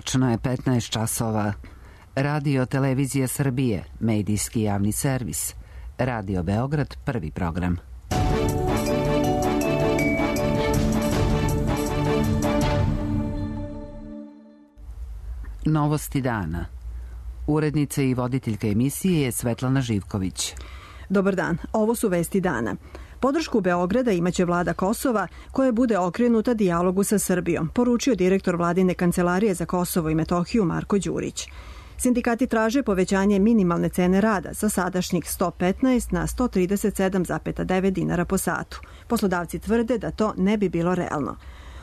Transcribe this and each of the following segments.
Tačno je 15 časova. Radio Televizija Srbije, medijski javni servis. Radio Beograd, prvi program. Novosti dana. Urednica i voditeljka emisije je Svetlana Živković. Dobar dan, ovo su vesti dana. Podršku Beograda imaće vlada Kosova, koja bude okrenuta dijalogu sa Srbijom, poručio direktor vladine kancelarije za Kosovo i Metohiju Marko Đurić. Sindikati traže povećanje minimalne cene rada sa sadašnjih 115 na 137,9 dinara po satu. Poslodavci tvrde da to ne bi bilo realno.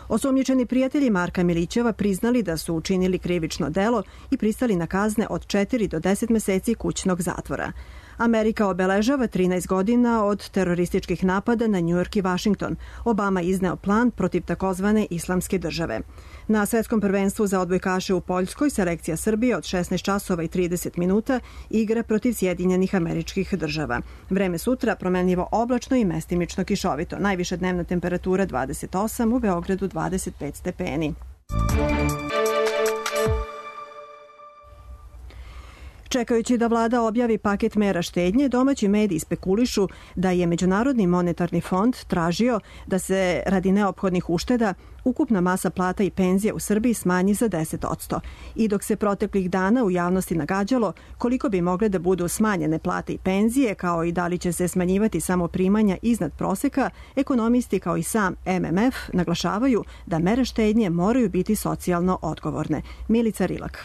Osumnjičeni prijatelji Marka Milićeva priznali da su učinili krivično delo i pristali na kazne od 4 do 10 meseci kućnog zatvora. Amerika obeležava 13 godina od terorističkih napada na Njujork i Vašington. Obama izneo plan protiv takozvane islamske države. Na svetskom prvenstvu za odbojkaše u Poljskoj selekcija Srbije od 16 časova i 30 minuta igra protiv Sjedinjenih Američkih Država. Vreme sutra promenljivo oblačno i mestimično kišovito. Najviša dnevna temperatura 28, u Beogradu 25 stepeni. Čekajući da vlada objavi paket mera štednje, domaći mediji spekulišu da je Međunarodni monetarni fond tražio da se radi neophodnih ušteda ukupna masa plata i penzije u Srbiji smanji za 10%. I dok se proteklih dana u javnosti nagađalo koliko bi mogle da budu smanjene plate i penzije, kao i da li će se smanjivati samo primanja iznad proseka, ekonomisti kao i sam MMF naglašavaju da mere štednje moraju biti socijalno odgovorne. Milica Rilak.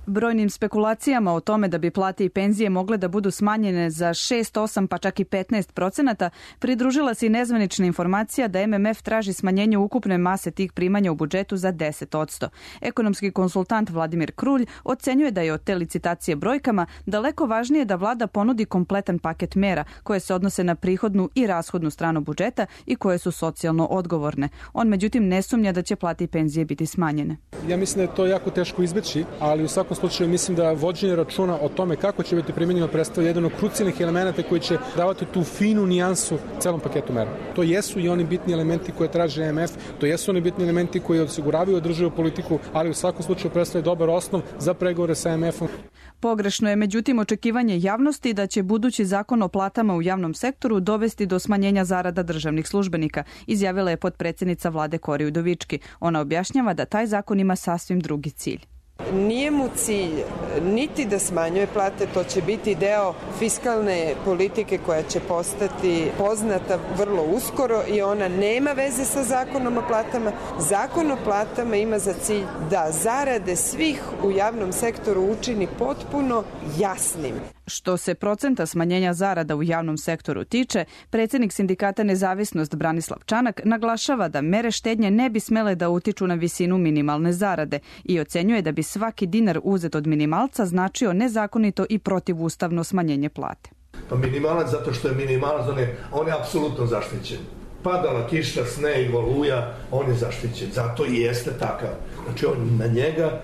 Brojnim spekulacijama o tome da bi plate i penzije mogle da budu smanjene za 6, 8 pa čak i 15% pridružila se i nezvanična informacija da MMF traži smanjenje ukupne mase tih primanja u budžetu za 10%. Ekonomski konsultant Vladimir Krulj ocenjuje da je od te licitacije brojkama daleko važnije da vlada ponudi kompletan paket mera koje se odnose na prihodnu i rashodnu stranu budžeta i koje su socijalno odgovorne. On međutim ne sumnja da će plate i penzije biti smanjene. Ja mislim da je to jako teško izbeći, ali u svakom slučaju mislim da vođenje računa o tome kako će biti primenjeno predstavlja jedan od krucijalnih elemenata koji će davati tu finu nijansu celom paketu mera. To jesu i oni bitni elementi koje traži MMF, to jesu oni bitni elementi koji osiguravaju održivu politiku, ali u svakom slučaju predstavlja dobar osnov za pregovore sa MMF-om. Pogrešno je međutim očekivanje javnosti da će budući zakon o platama u javnom sektoru dovesti do smanjenja zarada državnih službenika, izjavila je potpredsjednica vlade Kori Udovički. Ona objašnjava da taj zakon ima sasvim drugi cilj. Nije mu cilj niti da smanjuje plate, to će biti deo fiskalne politike koja će postati poznata vrlo uskoro i ona nema veze sa zakonom o platama. Zakon o platama ima za cilj da zarade svih u javnom sektoru učini potpuno jasnim. Što se procenta smanjenja zarada u javnom sektoru tiče, predsjednik sindikata Nezavisnost Branislav Čanak naglašava da mere štednje ne bi smele da utiču na visinu minimalne zarade i ocenjuje da bi svaki dinar uzet od minimalca značio nezakonito i protivustavno smanjenje plate. Pa minimalac zato što je minimalac, on je apsolutno zaštićen. Padala kiša, sneg, oluja, on je zaštićen. Zato i jeste takav. Znači, na njega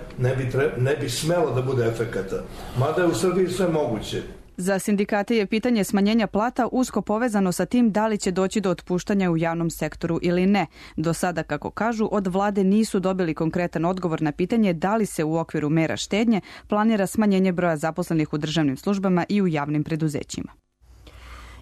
ne bi smelo da bude efekata. Mada je u Srbiji sve moguće. Za sindikate je pitanje smanjenja plata usko povezano sa tim da li će doći do otpuštanja u javnom sektoru ili ne. Do sada, kako kažu, od vlade nisu dobili konkretan odgovor na pitanje da li se u okviru mera štednje planira smanjenje broja zaposlenih u državnim službama i u javnim preduzećima.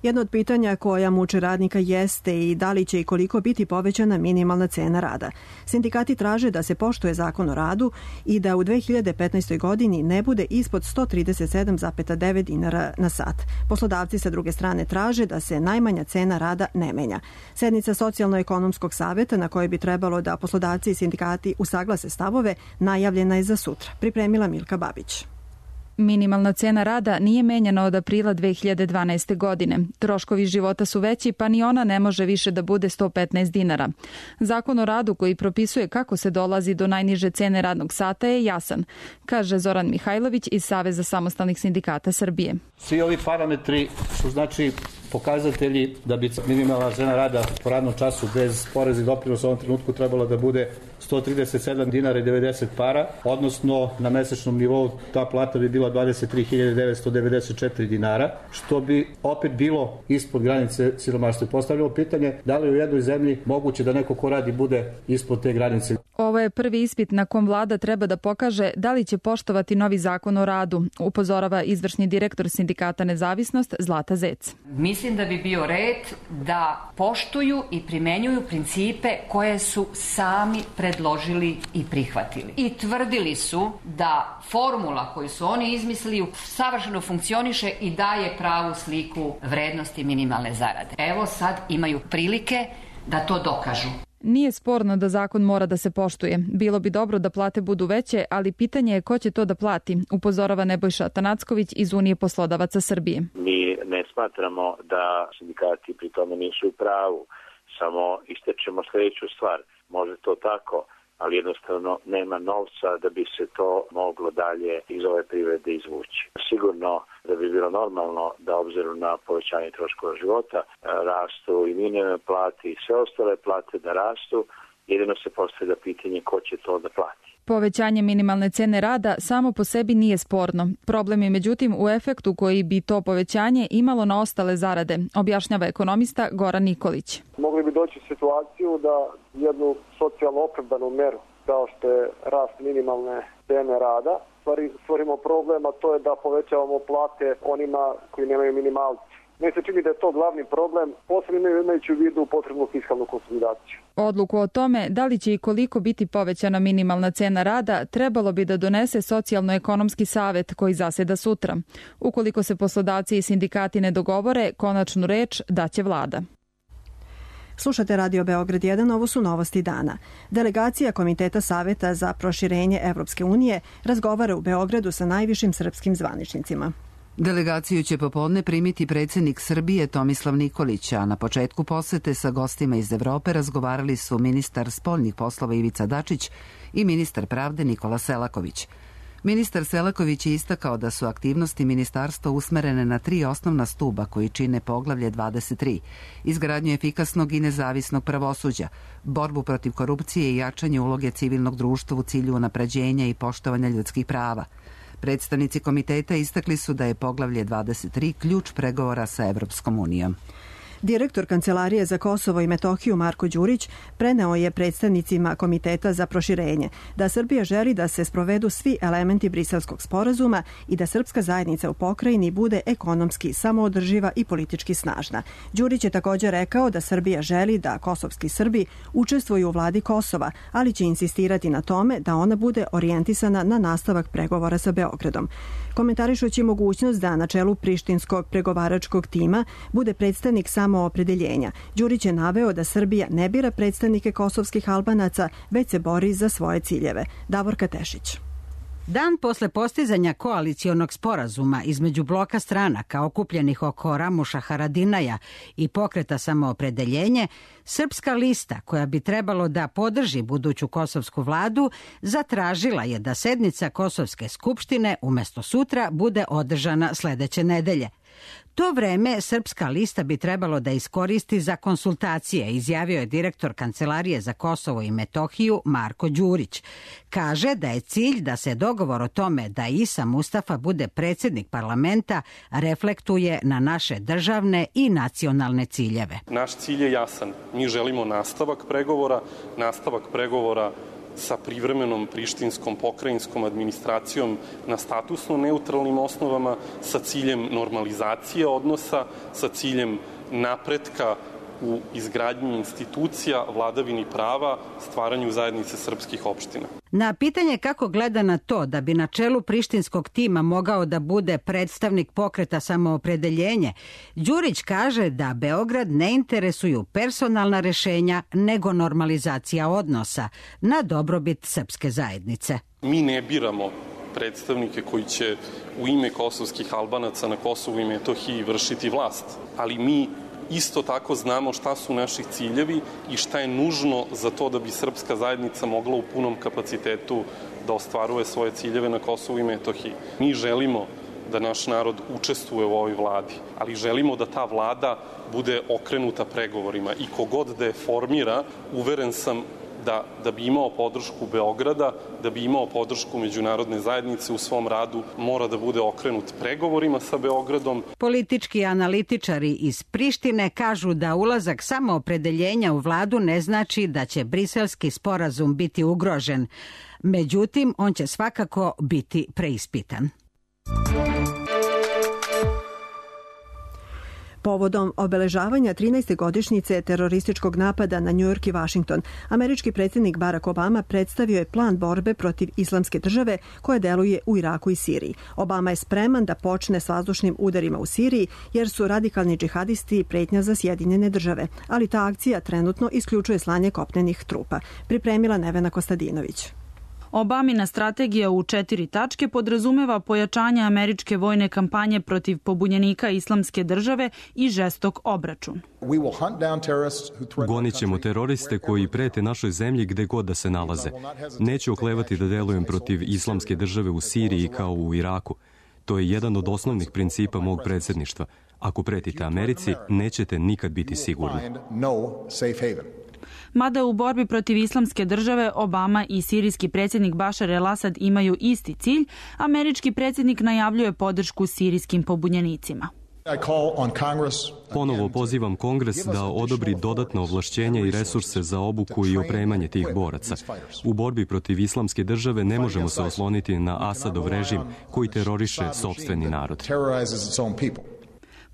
Jedno od pitanja koja muče radnika jeste i da li će i koliko biti povećana minimalna cena rada. Sindikati traže da se poštuje zakon o radu i da u 2015. godini ne bude ispod 137,9 dinara na sat. Poslodavci sa druge strane traže da se najmanja cena rada ne menja. Sednica Socijalno-ekonomskog saveta na kojoj bi trebalo da poslodavci i sindikati usaglase stavove najavljena je za sutra. Pripremila Milka Babić. Minimalna cena rada nije menjana od aprila 2012. godine. Troškovi života su veći, pa ni ona ne može više da bude 115 dinara. Zakon o radu koji propisuje kako se dolazi do najniže cene radnog sata je jasan, kaže Zoran Mihajlović iz Saveza samostalnih sindikata Srbije. Svi ovi parametri su znači pokazatelji da bi minimalna cena rada po radnom času bez poreza i doprinosa u ovom trenutku trebala da bude 137 dinara i 90 para, odnosno na mesečnom nivou ta plata bi bila 23.994 dinara, što bi opet bilo ispod granice siromaštva. Postavljamo pitanje da li u jednoj zemlji moguće da neko ko radi bude ispod te granice. Ovo je prvi ispit na kom vlada treba da pokaže da li će poštovati novi zakon o radu, upozorava izvršni direktor sindikata Nezavisnost Zlata Zec. Mislim da bi bio red da poštuju i primenjuju principe koje su sami predložili i prihvatili. I tvrdili su da formula koju su oni izmislili savršeno funkcioniše i daje pravu sliku vrednosti minimalne zarade. Evo sad imaju prilike da to dokažu. Nije sporno da zakon mora da se poštuje. Bilo bi dobro da plate budu veće, ali pitanje je ko će to da plati, upozorava Nebojša Tanacković iz Unije poslodavaca Srbije. Mi ne smatramo da sindikati pri tome nisu u pravu, samo ističemo sljedeću stvar. Može to tako, ali jednostavno nema novca da bi se to moglo dalje iz ove privrede izvući. Sigurno da bi bilo normalno da obzirom na povećanje troškova života rastu i minimalne plate i sve ostale plate da rastu, jedino se postavlja pitanje ko će to da plati. Povećanje minimalne cene rada samo po sebi nije sporno. Problem je međutim u efektu koji bi to povećanje imalo na ostale zarade, objašnjava ekonomista Goran Nikolić. Mogli bi doći u situaciju da jednu socijalno opravdanu meru kao što je rast minimalne cene rada stvorimo problem, a to je da povećavamo plate onima koji nemaju minimalci. Meni se čini da je to glavni problem, posebno imajući u vidu potrebnu fiskalnu konsolidaciju. Odluku o tome da li će i koliko biti povećana minimalna cena rada trebalo bi da donese Socijalno-ekonomski savet koji zaseda sutra. Ukoliko se poslodavci i sindikati ne dogovore, konačnu reč daće vlada. Slušate Radio Beograd 1, ovo su novosti dana. Delegacija Komiteta Saveta za proširenje Evropske unije razgovara u Beogradu sa najvišim srpskim zvaničnicima. Delegaciju će popodne primiti predsjednik Srbije Tomislav Nikolić, a na početku posete sa gostima iz Evrope razgovarali su ministar spoljnih poslova Ivica Dačić i ministar pravde Nikola Selaković. Ministar Selaković je istakao da su aktivnosti ministarstva usmerene na 3 osnovna stuba koji čine poglavlje 23, izgradnju efikasnog i nezavisnog pravosuđa, borbu protiv korupcije i jačanje uloge civilnog društva u cilju unapređenja i poštovanja ljudskih prava. Predstavnici komiteta istakli su da je poglavlje 23 ključ pregovora sa Evropskom unijom. Direktor Kancelarije za Kosovo i Metohiju Marko Đurić preneo je predstavnicima Komiteta za proširenje da Srbija želi da se sprovedu svi elementi Briselskog sporazuma i da srpska zajednica u pokrajini bude ekonomski samoodrživa i politički snažna. Đurić je također rekao da Srbija želi da kosovski Srbi učestvuju u vladi Kosova, ali će insistirati na tome da ona bude orijentisana na nastavak pregovora sa Beogradom. Komentarišući mogućnost da na čelu prištinskog pregovaračkog tima bude predstavnik samoopredeljenja, Đurić je naveo da Srbija ne bira predstavnike kosovskih Albanaca, već se bori za svoje ciljeve. Davorka Tešić. Dan posle postizanja koalicionog sporazuma između bloka stranaka okupljenih oko Ramuša Haradinaja i Pokreta samoopredeljenje, Srpska lista, koja bi trebalo da podrži buduću kosovsku vladu, zatražila je da sednica Kosovske skupštine umjesto sutra bude održana sledeće nedelje. To vreme Srpska lista bi trebalo da iskoristi za konsultacije, izjavio je direktor Kancelarije za Kosovo i Metohiju Marko Đurić. Kaže da je cilj da se dogovor o tome da Isa Mustafa bude predsjednik parlamenta reflektuje na naše državne i nacionalne ciljeve. Naš cilj je jasan. Mi želimo nastavak pregovora sa privremenom prištinskom pokrajinskom administracijom na statusno neutralnim osnovama sa ciljem normalizacije odnosa, sa ciljem napretka u izgradnji institucija, vladavini prava, stvaranju zajednice srpskih opština. Na pitanje kako gleda na to da bi na čelu prištinskog tima mogao da bude predstavnik Pokreta samoopredeljenje, Đurić kaže da Beograd ne interesuju personalna rešenja nego normalizacija odnosa na dobrobit srpske zajednice. Mi ne biramo predstavnike koji će u ime kosovskih Albanaca na Kosovu i Metohiji vršiti vlast, ali mi isto tako znamo šta su naši ciljevi i šta je nužno za to da bi srpska zajednica mogla u punom kapacitetu da ostvaruje svoje ciljeve na Kosovu i Metohiji. Mi želimo da naš narod učestvuje u ovoj vladi, ali želimo da ta vlada bude okrenuta pregovorima i kogod da je formira, uveren sam da bi imao podršku Beograda, da bi imao podršku međunarodne zajednice u svom radu, mora da bude okrenut pregovorima sa Beogradom. Politički analitičari iz Prištine kažu da ulazak samoopredeljenja u vladu ne znači da će briselski sporazum biti ugrožen. Međutim, on će svakako biti preispitan. Povodom obeležavanja 13. godišnjice terorističkog napada na New York i Washington, američki predsjednik Barack Obama predstavio je plan borbe protiv Islamske države koja deluje u Iraku i Siriji. Obama je spreman da počne s vazdušnim udarima u Siriji jer su radikalni džihadisti pretnja za Sjedinjene države, ali ta akcija trenutno isključuje slanje kopnenih trupa. Pripremila Nevena Kostadinović. Obamina strategija u 4 tačke podrazumeva pojačanje američke vojne kampanje protiv pobunjenika Islamske države i žestok obračun. Gonit ćemo teroriste koji prete našoj zemlji gde god da se nalaze. Neću oklevati da delujem protiv Islamske države u Siriji kao u Iraku. To je jedan od osnovnih principa mog predsjedništva. Ako pretite Americi, nećete nikad biti sigurni. Mada u borbi protiv Islamske države Obama i sirijski predsjednik Bašar el-Asad imaju isti cilj, američki predsjednik najavljuje podršku sirijskim pobunjenicima. Ponovo pozivam Kongres da odobri dodatna ovlašćenja i resurse za obuku i opremanje tih boraca. U borbi protiv Islamske države ne možemo se osloniti na Asadov režim koji teroriše sopstveni narod.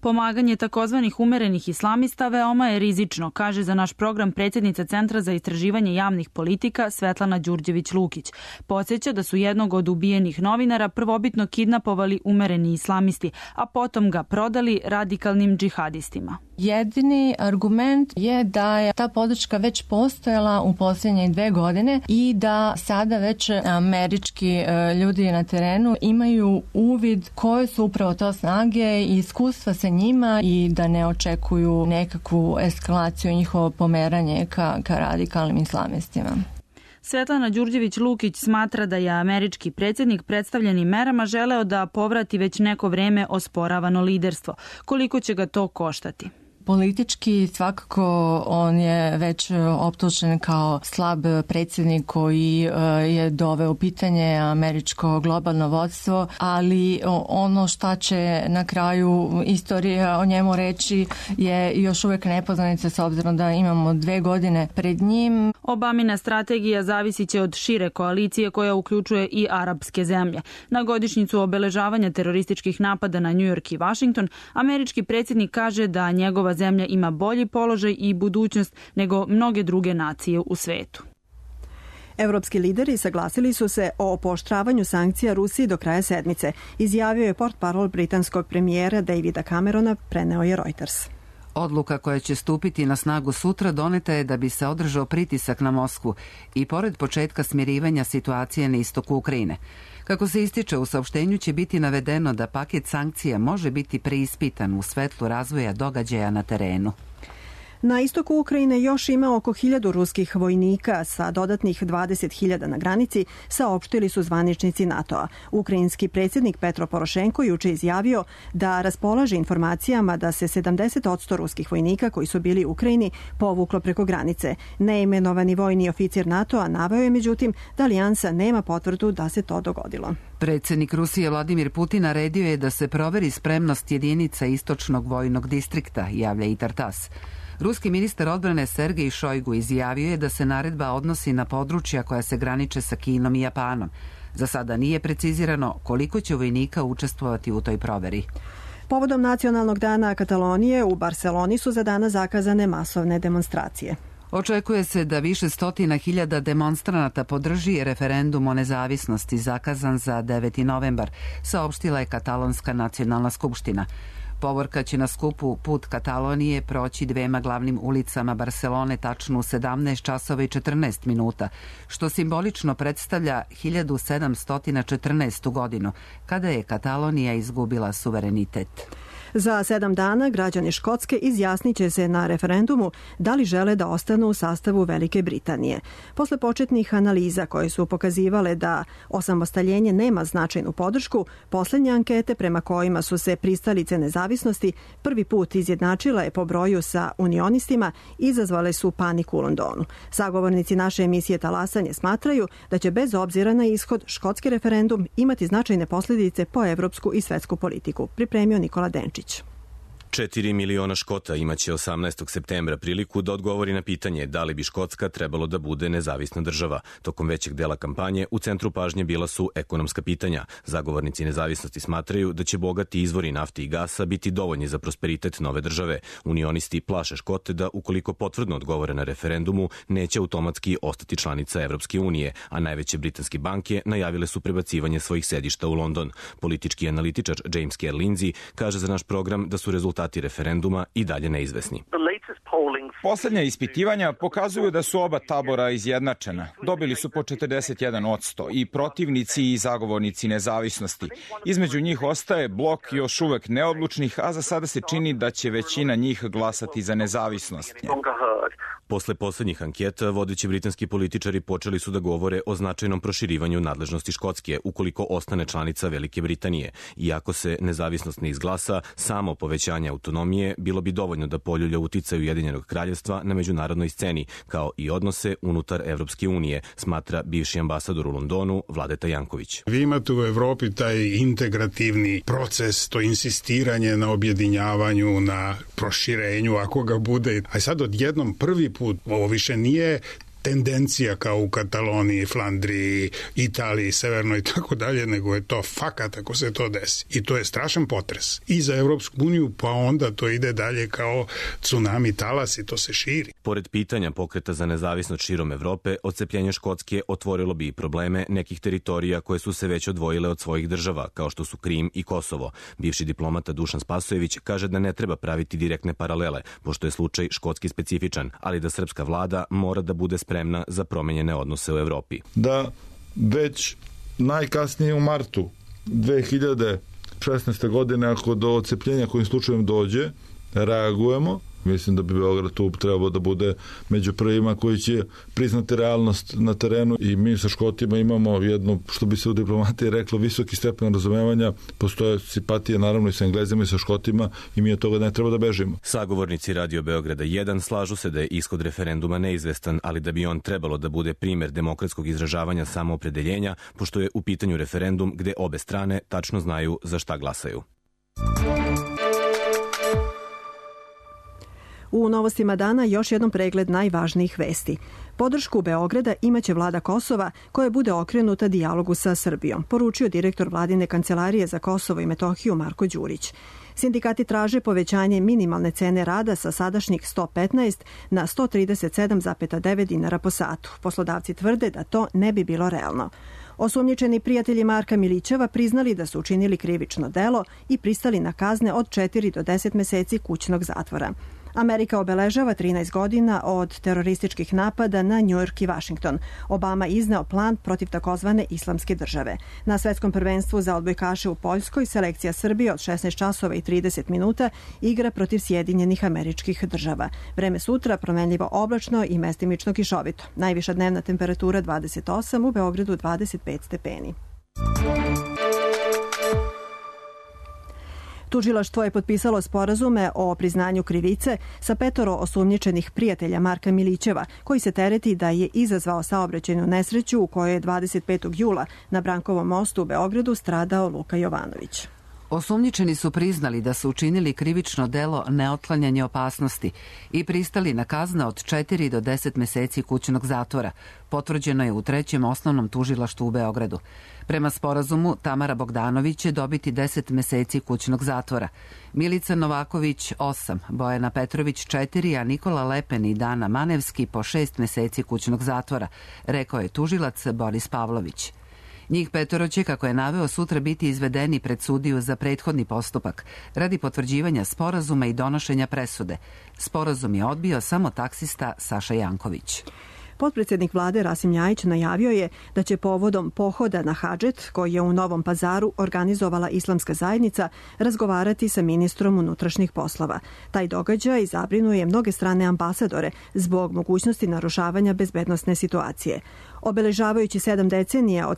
Pomaganje takozvanih umerenih islamista veoma je rizično, kaže za naš program predsjednica Centra za istraživanje javnih politika Svetlana Đurđević-Lukić. Podsjeća da su jednog od ubijenih novinara prvobitno kidnapovali umereni islamisti, a potom ga prodali radikalnim džihadistima. Jedini argument je da je ta podrška već postojala u posljednje 2 godine i da sada već američki ljudi na terenu imaju uvid koje su upravo to snage i iskustva sa njima i da ne očekuju nekakvu eskalaciju i njihovo pomeranje ka radikalnim islamistima. Svetlana Đurđević-Lukić smatra da je američki predsjednik predstavljenim merama želeo da povrati već neko vreme osporavano liderstvo. Koliko će ga to koštati? Politički svakako on je već optužen kao slab predsjednik koji je doveo u pitanje američko globalno vodstvo, ali ono šta će na kraju istorija o njemu reći je još uvijek nepoznanica s obzirom da imamo 2 godine pred njim. Obamina strategija zavisit će od šire koalicije koja uključuje i arapske zemlje. Na godišnjicu obeležavanja terorističkih napada na New York i Washington, američki predsjednik kaže da njegova zemlja ima bolji položaj i budućnost nego mnoge druge nacije u svetu. Evropski lideri saglasili su se o pooštravanju sankcija Rusiji do kraja sedmice, izjavio je portparol britanskog premijera Davida Camerona, preneo je Reuters. Odluka koja će stupiti na snagu sutra doneta je da bi se održao pritisak na Moskvu i pored početka smirivanja situacije na istoku Ukrajine. Kako se ističe u saopštenju će biti navedeno da paket sankcija može biti preispitan u svetlu razvoja događaja na terenu. Na istoku Ukrajine još ima oko 1000 ruskih vojnika sa dodatnih 20.000 na granici, saopštili su zvaničnici NATO-a. Ukrajinski predsjednik Petro Porošenko juče izjavio da raspolaže informacijama da se 70% ruskih vojnika koji su bili u Ukrajini povuklo preko granice. Neimenovani vojni oficir NATO-a naveo je međutim da alijansa nema potvrdu da se to dogodilo. Predsjednik Rusije Vladimir Putin naredio je da se proveri spremnost jedinica istočnog vojnog distrikta, javlja i Tartas. Ruski ministar odbrane Sergej Šojgu izjavio je da se naredba odnosi na područja koja se graniče sa Kinom i Japanom. Za sada nije precizirano koliko će vojnika učestvovati u toj proveri. Povodom Nacionalnog dana Katalonije u Barceloni su za danas zakazane masovne demonstracije. Očekuje se da više stotina hiljada demonstranata podrži referendum o nezavisnosti zakazan za 9. novembar, saopštila je Katalonska nacionalna skupština. Povorka će na skupu Put Katalonije proći 2 glavnim ulicama Barcelone tačno u 17 časova i 14 minuta, što simbolično predstavlja 1714. godinu, kada je Katalonija izgubila suverenitet. Za 7 dana građani Škotske izjasniće se na referendumu da li žele da ostanu u sastavu Velike Britanije. Posle početnih analiza koje su pokazivale da osamostaljenje nema značajnu podršku, poslednje ankete prema kojima su se pristalice nezavisnosti prvi put izjednačila je po broju sa unionistima, izazvale su paniku u Londonu. Sagovornici naše emisije Talasanje smatraju da će bez obzira na ishod škotski referendum imati značajne posljedice po evropsku i svetsku politiku. Pripremio Nikola Denčić. 4 miliona Škota imaće 18. septembra priliku da odgovori na pitanje da li bi Škotska trebalo da bude nezavisna država. Tokom većeg dela kampanje u centru pažnje bila su ekonomska pitanja. Zagovornici nezavisnosti smatraju da će bogati izvori nafte i gasa biti dovoljni za prosperitet nove države. Unionisti plaše Škote da ukoliko potvrdno odgovore na referendumu neće automatski ostati članica Evropske unije, a najveće britanske banke najavile su prebacivanje svojih sedišta u London. Politički analitičar James Kerr Lindsay kaže za naš program da su rezultati referenduma i dalje neizvesni. Poslednja ispitivanja pokazuju da su oba tabora izjednačena. Dobili su po 41% i protivnici i zagovornici nezavisnosti. Između njih ostaje blok još uvek neodlučnih, a za sada se čini da će većina njih glasati za nezavisnost. Posle poslednjih anketa, vodeći britanski političari počeli su da govore o značajnom proširivanju nadležnosti Škotske ukoliko ostane članica Velike Britanije. Iako se nezavisnost ne izglasa, samo povećanje autonomije bilo bi dovoljno da poljulja uticaj Ujedinjenog kraljevstva na međunarodnoj sceni, kao i odnose unutar Evropske unije, smatra bivši ambasador u Londonu Vladeta Janković. Vi imate u Evropi taj integrativni proces, to insistiranje na objedinjavanju, na proširenju, ako ga bude. A sad odjednom prvi put, ovo više nije tendencija kao u Kataloniji, Flandriji, Italiji, Severnoj i tako dalje, nego je to fakat ako se to desi. I to je strašan potres. I za Evropsku uniju, pa onda to ide dalje kao tsunami talas i to se širi. Pored pitanja pokreta za nezavisnost širom Evrope, odcepljenje Škotske otvorilo bi i probleme nekih teritorija koje su se već odvojile od svojih država, kao što su Krim i Kosovo. Bivši diplomata Dušan Spasojević kaže da ne treba praviti direktne paralele, pošto je slučaj škotski specifičan, ali da srpska vlada mora da bude spremna za promenjene odnose u Evropi. Da već najkasnije u martu 2016. godine, ako do odcepljenja kojim slučajem dođe, reagujemo. Mislim da bi Beograd tu trebao da bude među prvima koji će priznati realnost na terenu i mi sa Škotima imamo jednu, što bi se u diplomatiji reklo, visoki stepen razumevanja, postoje simpatije naravno i sa Englezima i sa Škotima i mi od toga ne treba da bežimo. Sagovornici Radio Beograda 1 slažu se da je ishod referenduma neizvestan, ali da bi on trebalo da bude primer demokratskog izražavanja samoopredeljenja, pošto je u pitanju referendum gde obe strane tačno znaju za šta glasaju. U novostima dana još jednom pregled najvažnijih vesti. Podršku Beograda imaće vlada Kosova koja bude okrenuta dijalogu sa Srbijom, poručio direktor vladine kancelarije za Kosovo i Metohiju Marko Đurić. Sindikati traže povećanje minimalne cene rada sa sadašnjih 115 na 137,9 dinara po satu. Poslodavci tvrde da to ne bi bilo realno. Osumnjičeni prijatelji Marka Milićeva priznali da su učinili krivično delo i pristali na kazne od 4 do 10 meseci kućnog zatvora. Amerika obeležava 13 godina od terorističkih napada na Njujork i Vašington. Obama izneo plan protiv takozvane islamske države. Na svetskom prvenstvu za odbojkaše u Poljskoj selekcija Srbije od 16 časova i 30 minuta igra protiv Sjedinjenih Američkih Država. Vreme sutra promenljivo oblačno i mestimično kišovito. Najviša dnevna temperatura 28, u Beogradu 25 stepeni. Tužilaštvo je potpisalo sporazume o priznanju krivice sa 5 osumnjičenih prijatelja Marka Milićeva, koji se tereti da je izazvao saobraćajnu nesreću u kojoj je 25. jula na Brankovom mostu u Beogradu stradao Luka Jovanović. Osumnjičeni su priznali da su učinili krivično delo neotklanjanje opasnosti i pristali na kazne od 4 do 10 meseci kućnog zatvora. Potvrđeno je u 3. osnovnom tužilaštvu u Beogradu. Prema sporazumu, Tamara Bogdanović će dobiti 10 meseci kućnog zatvora. Milica Novaković 8, Bojana Petrović 4, a Nikola Lepen i Dana Manevski po 6 meseci kućnog zatvora, rekao je tužilac Boris Pavlović. Njih 5 će, kako je naveo, sutra biti izvedeni pred sudiju za prethodni postupak radi potvrđivanja sporazuma i donošenja presude. Sporazum je odbio samo taksista Saša Janković. Potpredsjednik vlade Rasim Ljajić najavio je da će povodom pohoda na Hadžet, koji je u Novom Pazaru organizovala Islamska zajednica, razgovarati sa ministrom unutrašnjih poslova. Taj događaj zabrinuje mnoge strane ambasadore zbog mogućnosti narušavanja bezbednosne situacije. Obeležavajući 7 decenija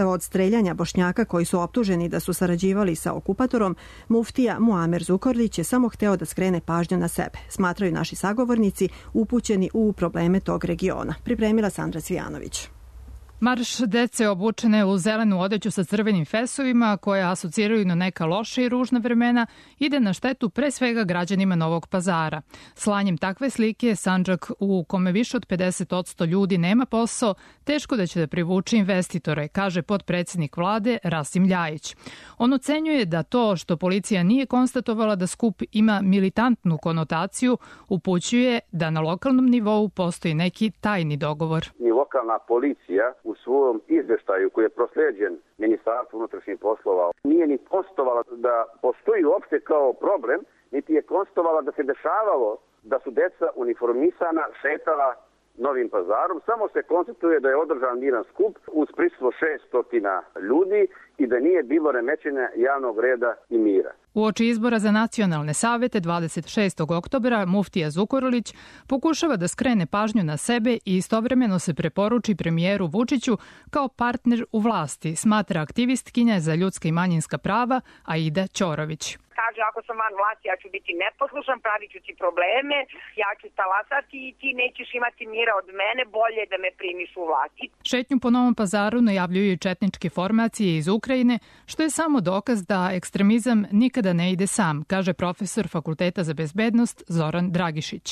od streljanja Bošnjaka koji su optuženi da su sarađivali sa okupatorom, muftija Muamer Zukorlić je samo hteo da skrene pažnju na sebe, smatraju naši sagovornici upućeni u probleme tog regiona. Pripremila Sandra Cvijanović. Marš dece obučene u zelenu odeću sa crvenim fesovima, koje asociraju na neka loša i ružna vremena, ide na štetu pre svega građanima Novog Pazara. Slanjem takve slike, Sandžak u kome više od 50% ljudi nema posao, teško da će da privuče investitore, kaže potpredsjednik vlade Rasim Ljajić. On ocenjuje da to što policija nije konstatovala da skup ima militantnu konotaciju, upućuje da na lokalnom nivou postoji neki tajni dogovor. Lokalna policija u svom izveštaju koji je prosleđen Ministarstvu unutrašnjih poslova nije ni konstatovala da postoji uopšte kao problem, niti je konstatovala da se dešavalo da su deca uniformisana šetala Novim Pazarom. Samo se konstatuje da je održan miran skup uz prisustvo 600 ljudi i da nije bilo remećenja javnog reda i mira. Uoči izbora za nacionalne savete 26. oktobra muftija Zukorlić pokušava da skrene pažnju na sebe i istovremeno se preporuči premijeru Vučiću kao partner u vlasti, smatra aktivistkinja za ljudska i manjinska prava Aida Ćorović. Kaže, ako sam van vlasti, ja ću biti neposlušan, pravit ću ti probleme, ja ću talasati i ti nećeš imati mira od mene, bolje da me primiš u vlasti. Šetnju po Novom Pazaru najavljuju četničke formacije iz Ukrajine, što je samo dokaz da ekstremizam nikada ne ide sam, kaže profesor Fakulteta za bezbednost Zoran Dragišić.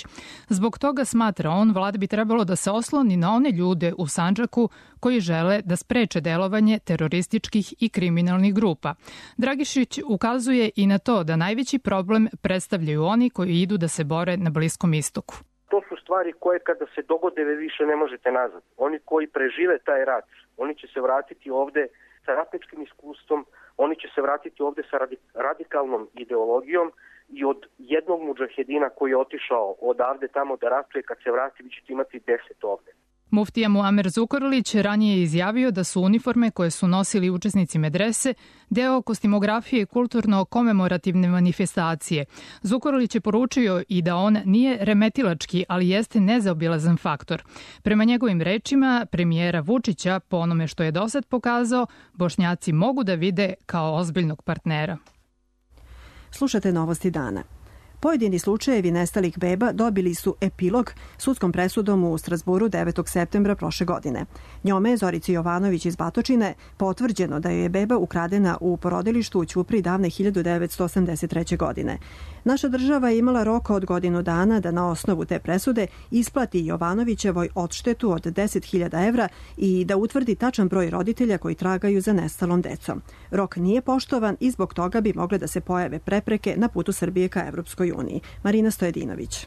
Zbog toga, smatra on, vlada bi trebalo da se osloni na one ljude u Sandžaku koji žele da spreče delovanje terorističkih i kriminalnih grupa. Dragišić ukazuje i na to da najveći problem predstavljaju oni koji idu da se bore na Bliskom istoku. To su stvari koje kada se dogode više ne možete nazad. Oni koji prežive taj rat, oni će se vratiti ovde sa ratničkim iskustvom, oni će se vratiti ovde sa radikalnom ideologijom i od jednog mudžahedina koji je otišao odavde tamo da ratuje, kad se vrati vi ćete imati 10 ovde. Muftija Muamer Zukorlić ranije je izjavio da su uniforme koje su nosili učesnici medrese deo kostimografije kulturno-komemorativne manifestacije. Zukorlić je poručio i da on nije remetilački, ali jeste nezaobilazan faktor. Prema njegovim rečima, premijera Vučića, po onome što je dosad pokazao, Bošnjaci mogu da vide kao ozbiljnog partnera. Slušate Novosti dana. Pojedini slučajevi nestalih beba dobili su epilog sudskom presudom u Strazburu 9. septembra prošle godine. Njome je Zorici Jovanović iz Batočine potvrđeno da joj je beba ukradena u porodilištu u Ćupri davne 1983. godine. Naša država je imala rok od godinu dana da na osnovu te presude isplati Jovanovićevoj odštetu od 10.000 evra i da utvrdi tačan broj roditelja koji tragaju za nestalom decom. Rok nije poštovan i zbog toga bi mogle da se pojave prepreke na putu Srbije ka Evropskoj uniji. Marina Stojedinović.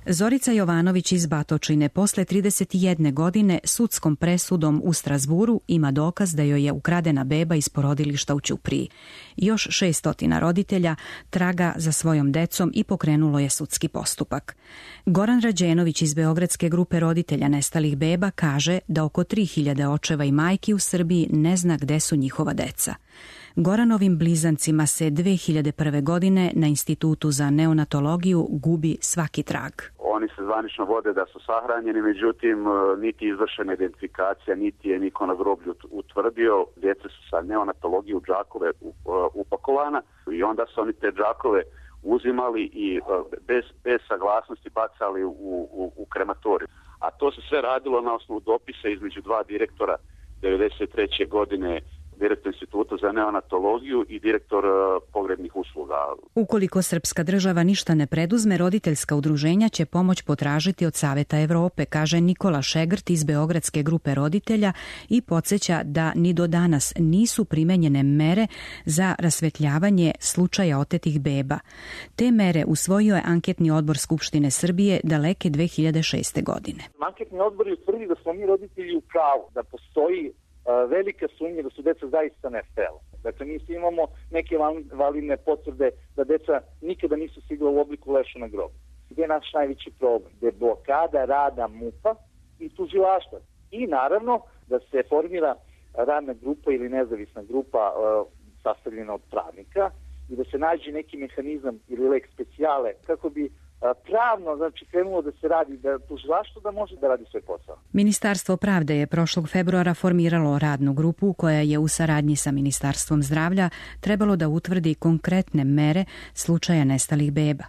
Zorica Jovanović iz Batočine posle 31 godine sudskom presudom u Strazburu ima dokaz da joj je ukradena beba iz porodilišta u Ćupriji. Još 600 roditelja traga za svojom decom i pokrenulo je sudski postupak. Goran Rađenović iz Beogradske grupe roditelja nestalih beba kaže da oko 3000 očeva i majki u Srbiji ne zna gde su njihova deca. Goranovim blizancima se 2001. godine na Institutu za neonatologiju gubi svaki trag. Oni se zvanično vode da su sahranjeni, međutim niti izvršena identifikacija, niti je niko na groblju utvrdio. Djeca su sa neonatologije u džakove upakovana i onda su oni te džakove uzimali i bez saglasnosti bacali u krematoriju. A to se sve radilo na osnovu dopisa između dva direktora 1993. godine, direktor Instituta za neonatologiju i direktor pogrebnih usluga. Ukoliko srpska država ništa ne preduzme, roditeljska udruženja će pomoć potražiti od Saveta Evrope, kaže Nikola Šegrt iz Beogradske grupe roditelja i podsjeća da ni do danas nisu primenjene mere za rasvetljavanje slučaja otetih beba. Te mere usvojio je anketni odbor Skupštine Srbije daleke 2006. godine. Anketni odbor je utvrdio da smo mi roditelji u pravu, da postoji velika sumnja da su deca zaista nestala. Dakle, mi imamo neke validne potvrde da deca nikada nisu stigla u obliku leša na grobu. Gde je naš najveći problem? Gde je blokada rada MUP-a i tužilaštva. I naravno da se formira radna grupa ili nezavisna grupa sastavljena od pravnika i da se nađe neki mehanizam ili lex speciale kako bi pravno, znači, krenulo da se radi, da tužilaštvo da može da radi svoj posao. Ministarstvo pravde je prošlog februara formiralo radnu grupu koja je u saradnji sa Ministarstvom zdravlja trebalo da utvrdi konkretne mere slučaja nestalih beba.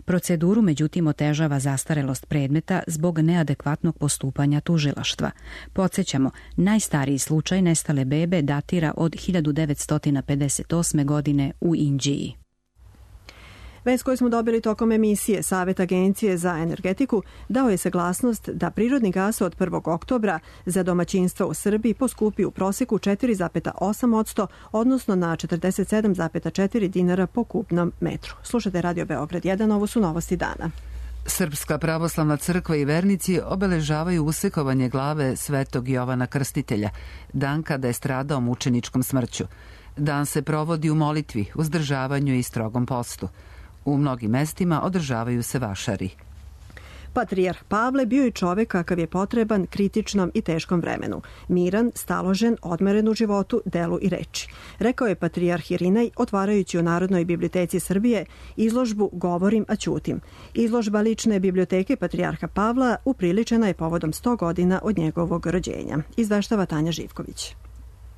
Proceduru, međutim, otežava zastarelost predmeta zbog neadekvatnog postupanja tužilaštva. Podsjećamo, najstariji slučaj nestale bebe datira od 1958. godine u Inđiji. Vest koju smo dobili tokom emisije, Savet Agencije za energetiku dao je saglasnost da prirodni gas od 1. oktobra za domaćinstva u Srbiji poskupi u proseku 4,8%, odnosno na 47,4 dinara po kubnom metru. Slušate Radio Beograd 1, ovo su novosti dana. Srpska pravoslavna crkva i vernici obeležavaju usekovanje glave Svetog Jovana Krstitelja, dan kada je stradao mučeničkom smrću. Dan se provodi u molitvi, uzdržavanju i strogom postu. U mnogim mestima održavaju se vašari. Patrijarh Pavle bio je čovek kakav je potreban kritičnom i teškom vremenu. Miran, staložen, odmeren u životu, delu i reči. Rekao je patrijarh Irinej otvarajući u Narodnoj biblioteci Srbije izložbu Govorim, a ćutim. Izložba lične biblioteke patrijarha Pavla upriličena je povodom 100 godina od njegovog rođenja. Izveštava Tanja Živković.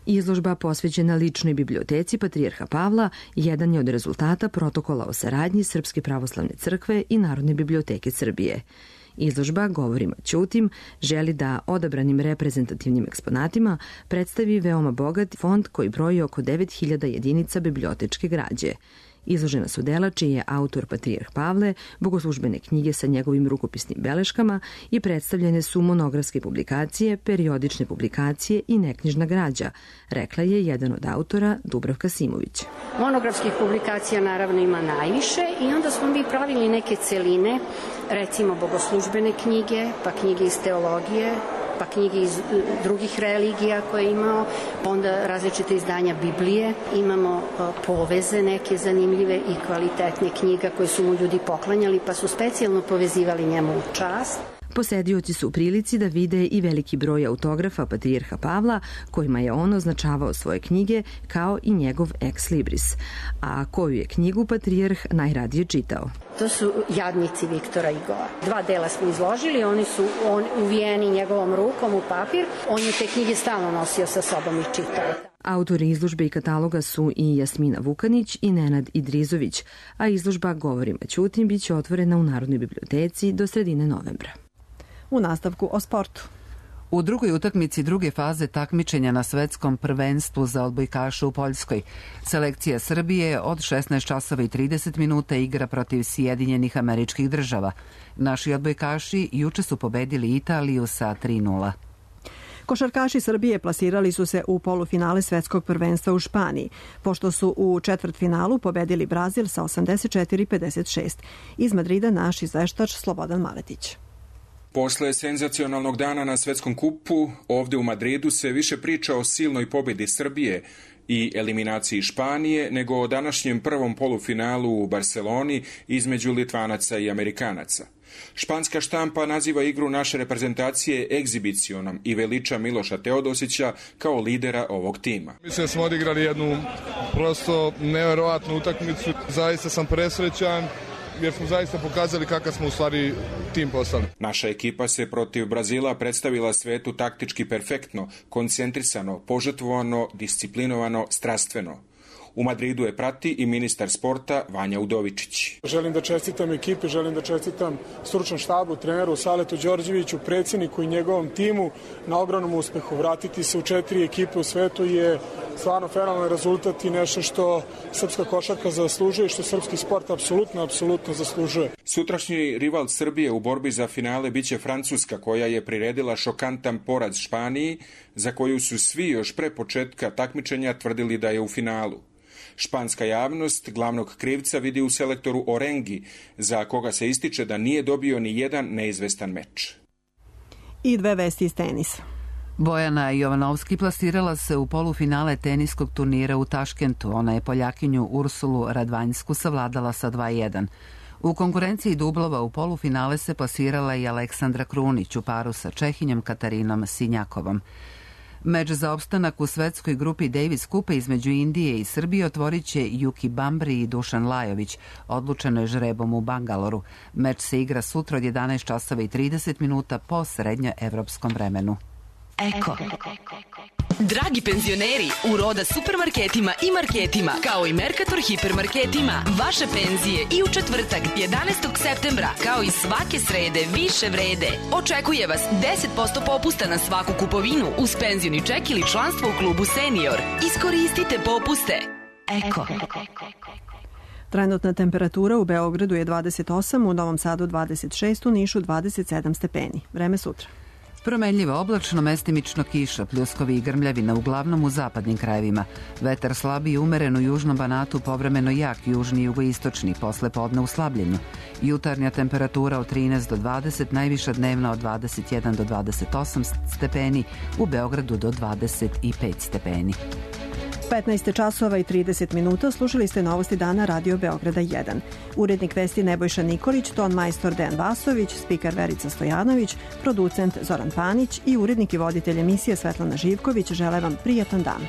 Izložba posvećena ličnoj biblioteci patrijarha Pavla jedan je od rezultata protokola o saradnji Srpske pravoslavne crkve i Narodne biblioteke Srbije. Izložba Govorim, a ćutim želi da odabranim reprezentativnim eksponatima predstavi veoma bogat fond koji broji oko 9000 jedinica bibliotečke građe. Izložena su dela čiji je autor patrijarh Pavle, bogoslužbene knjige sa njegovim rukopisnim beleškama i predstavljene su monografske publikacije, periodične publikacije i neknjižna građa, rekla je jedan od autora Dubravka Simović. Monografskih publikacija naravno ima najviše i onda smo mi pravili neke celine, recimo bogoslužbene knjige, pa knjige iz teologije, pa knjige iz drugih religija koje je imao, onda različite izdanja Biblije, imamo poveze neke zanimljive i kvalitetne knjiga koje su mu ljudi poklanjali pa su specijalno povezivali njemu u čast. Posedioci su u prilici da vide i veliki broj autografa patrijarha Pavla kojima je on označavao svoje knjige kao i njegov ex libris, a koju je knjigu patrijarh najradije čitao. To su Jadnici Viktora Igora. 2 dela smo izložili, oni su uvijeni njegovom rukom u papir. On je te knjige stalno nosio sa sobom i čitao. Autori izložbe i kataloga su i Jasmina Vukanić i Nenad Idrizović, a izložba Govorim, a ćutim biće otvorena u Narodnoj biblioteci do sredine novembra. U nastavku o sportu. U drugoj utakmici druge faze takmičenja na svetskom prvenstvu za odbojkaše u Poljskoj, selekcija Srbije od 16 časova i 30 minuta igra protiv Sjedinjenih Američkih Država. Naši odbojkaši juče su pobedili Italiju sa 3:0. Košarkaši Srbije plasirali su se u polufinale svetskog prvenstva u Španiji, pošto su u četvrtfinalu pobedili Brazil sa 84-56. Iz Madrida naš izveštač Slobodan Maletić. Posle senzacionalnog dana na svetskom kupu, ovde u Madridu se više priča o silnoj pobedi Srbije i eliminaciji Španije nego o današnjem prvom polufinalu u Barceloni između Litvanaca i Amerikanaca. Španska štampa naziva igru naše reprezentacije egzibicionom i veliča Miloša Teodosića kao lidera ovog tima. Mislim da smo odigrali jednu prosto neverovatnu utakmicu. Zaista sam presrećan jer smo zaista pokazali kakav smo u stvari tim postali. Naša ekipa se protiv Brazila predstavila svetu taktički perfektno, koncentrisano, požrtvovano, disciplinovano, strastveno. U Madridu je prati i ministar sporta Vanja Udovičić. Želim da čestitam ekipi, želim da čestitam stručnom štabu, treneru Saletu Đorđeviću, predsjedniku i njegovom timu na ogromnom uspehu. Vratiti se u 4 ekipe u svetu je stvarno fenomenalan rezultat i nešto što srpska košarka zaslužuje i što srpski sport apsolutno zaslužuje. Sutrašnji rival Srbije u borbi za finale biće Francuska, koja je priredila šokantan poraz Španiji, za koju su svi još pre početka takmičenja tvrdili da je u finalu. Španska javnost glavnog krivca vidi u selektoru Orengi, za koga se ističe da nije dobio ni jedan neizvestan meč. I 2 vesti iz tenisa. Bojana Jovanovski plasirala se u polufinale teniskog turnira u Taškentu. Ona je Poljakinju Ursulu Radvanjsku savladala sa 2:1. U konkurenciji dublova u polufinale se plasirala i Aleksandra Krunić u paru sa Čehinjom Katarinom Sinjakovom. Meč za opstanak u svetskoj grupi Davis Kupa između Indije i Srbije otvorit će Juki Bambri i Dušan Lajović. Odlučeno je žrebom u Bangaloru. Meč se igra sutra od 11 časova i 30 minuta po srednjoevropskom vremenu. Eko. Dragi penzioneri, u Roda supermarketima i marketima, kao i Mercator hipermarketima, vaše penzije i u četvrtak 11. septembra, kao i svake srede, više vrede. Očekuje vas 10% popusta na svaku kupovinu uz penzioni ček ili članstvo u klubu Senior. Iskoristite popuste. Eko. Trenutna temperatura u Beogradu je 28, u Novom Sadu 26, u Nišu 27 stepeni. Vreme sutra. Promenljivo oblačno, mestimično kiša, pljuskovi i grmljavina uglavnom u zapadnim krajevima. Vetar slabi i umeren u južnom Banatu, povremeno jak južni i jugoistočni, posle podne u slabljenju. Jutarnja temperatura od 13 do 20, najviša dnevna od 21 do 28 stepeni, u Beogradu do 25 stepeni. 15 časova i 30 minuta, slušali ste novosti dana Radio Beograda 1. Urednik vesti Nebojša Nikolić, ton majstor Dejan Vasović, spiker Verica Stojanović, producent Zoran Panić i urednik i voditelj emisije Svetlana Živković žele vam prijatan dan.